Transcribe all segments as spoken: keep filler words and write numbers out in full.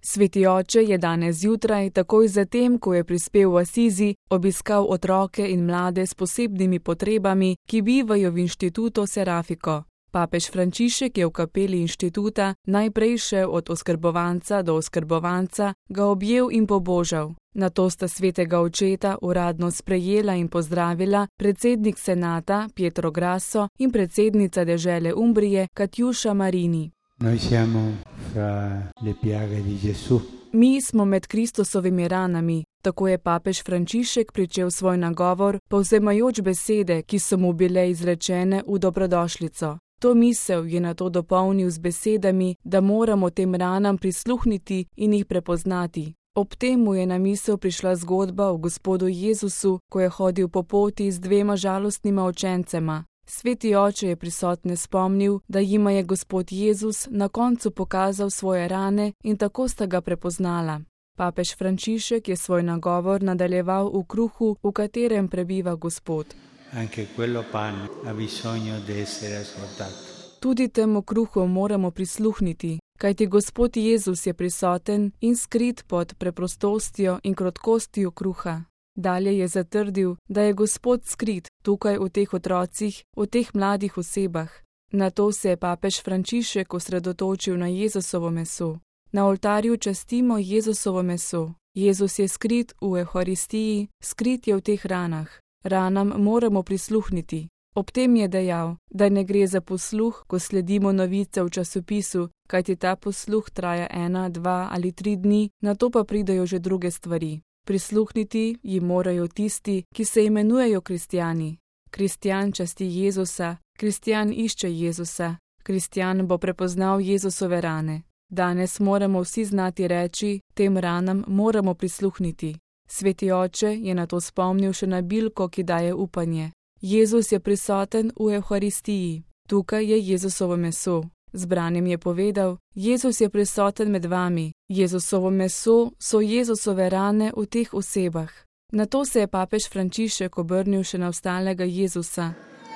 Sveti oče je danes zjutraj, takoj zatem, ko je prispel v Asizi, obiskal otroke in mlade s posebnimi potrebami, ki bivajo v inštitutu Serafiko. Papež Frančišek je v kapeli inštituta najprej šel od oskrbovanca do oskrbovanca, ga objel in pobožal. Nato sta svetega očeta uradno sprejela in pozdravila predsednik senata Pietro Grasso in predsednica dežele Umbrije Katjuša Marini. Noi siamo fra le piaghe di Gesù. Mi smo med Kristusovimi ranami, tako je papež Frančišek pričel svoj nagovor, povzemajoč besede, ki so mu bile izrečene v dobrodošlico. To misel je nato dopolnil z besedami, da moramo tem ranam prisluhniti in jih prepoznati. Ob tem mu je na misel prišla zgodba o gospodu Jezusu, ko je hodil po poti z dvema žalostnima učencema. Sveti oče je prisotne spomnil, da jima je gospod Jezus na koncu pokazal svoje rane in tako sta ga prepoznala. Papež Frančišek je svoj nagovor nadaljeval v kruhu, v katerem prebiva Gospod. Anche quello pan ha bisogno di essere ascoltato. Tudi temu kruhu moramo prisluhniti, kajti gospod Jezus je prisoten in skrit pod preprostostjo in krotkostjo kruha. Dalje je zatrdil, da je Gospod skrit tukaj v teh otrocih, v teh mladih osebah. Nato se je papež Frančišek osredotočil na Jezusovo meso. Na oltarju častimo Jezusovo meso. Jezus je skrit v Evharistiji, skrit je v teh ranah. Ranam moramo prisluhniti. Ob tem je dejal, da ne gre za posluh, ko sledimo novice v časopisu, kajti ta posluh traja ena, dva ali tri dni, nato pa pridejo že druge stvari. Prisluhniti jim morajo tisti, ki se imenujejo kristjani. Kristjan časti Jezusa, kristjan išče Jezusa, kristjan bo prepoznal Jezusove rane. Danes moramo vsi znati reči, tem ranam moramo prisluhniti. Sveti oče je nato spomnil še na bilko, ki daje upanje. Jezus je prisoten v Evharistiji. Tukaj je Jezusovo meso. Zbranim je povedal, Jezus je prisoten med vami. Jezusovo meso so Jezusove rane v teh osebah. Nato se je papež Frančišek obrnil še na ostalega Jezusa.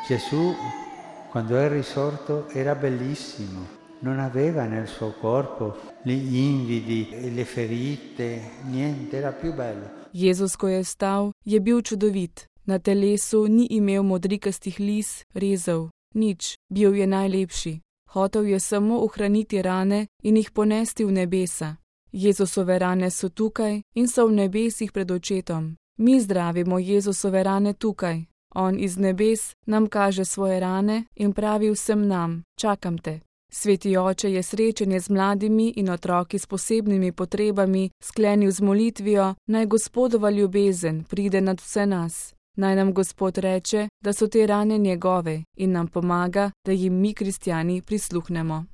Gesù, quando è risorto, era bellissimo. Non aveva nel suo corpo gli invidi e le ferite, niente, era più bello. Jezus, ko je vstal, je bil čudovit. Na telesu ni imel modrikastih lis, rezov, nič, bil je najlepši. Hotel je samo ohraniti rane in jih ponesti v nebesa. Jezusove rane so tukaj in so v nebesih pred očetom. Mi zdravimo Jezusove rane tukaj. On iz nebes nam kaže svoje rane in pravi vsem nam, čakam te. Sveti oče je srečanje z mladimi in otroki s posebnimi potrebami sklenil z molitvijo, naj Gospodova ljubezen pride nad vse nas. Naj nam Gospod reče, da so te rane njegove in nam pomaga, da jim mi kristjani prisluhnemo.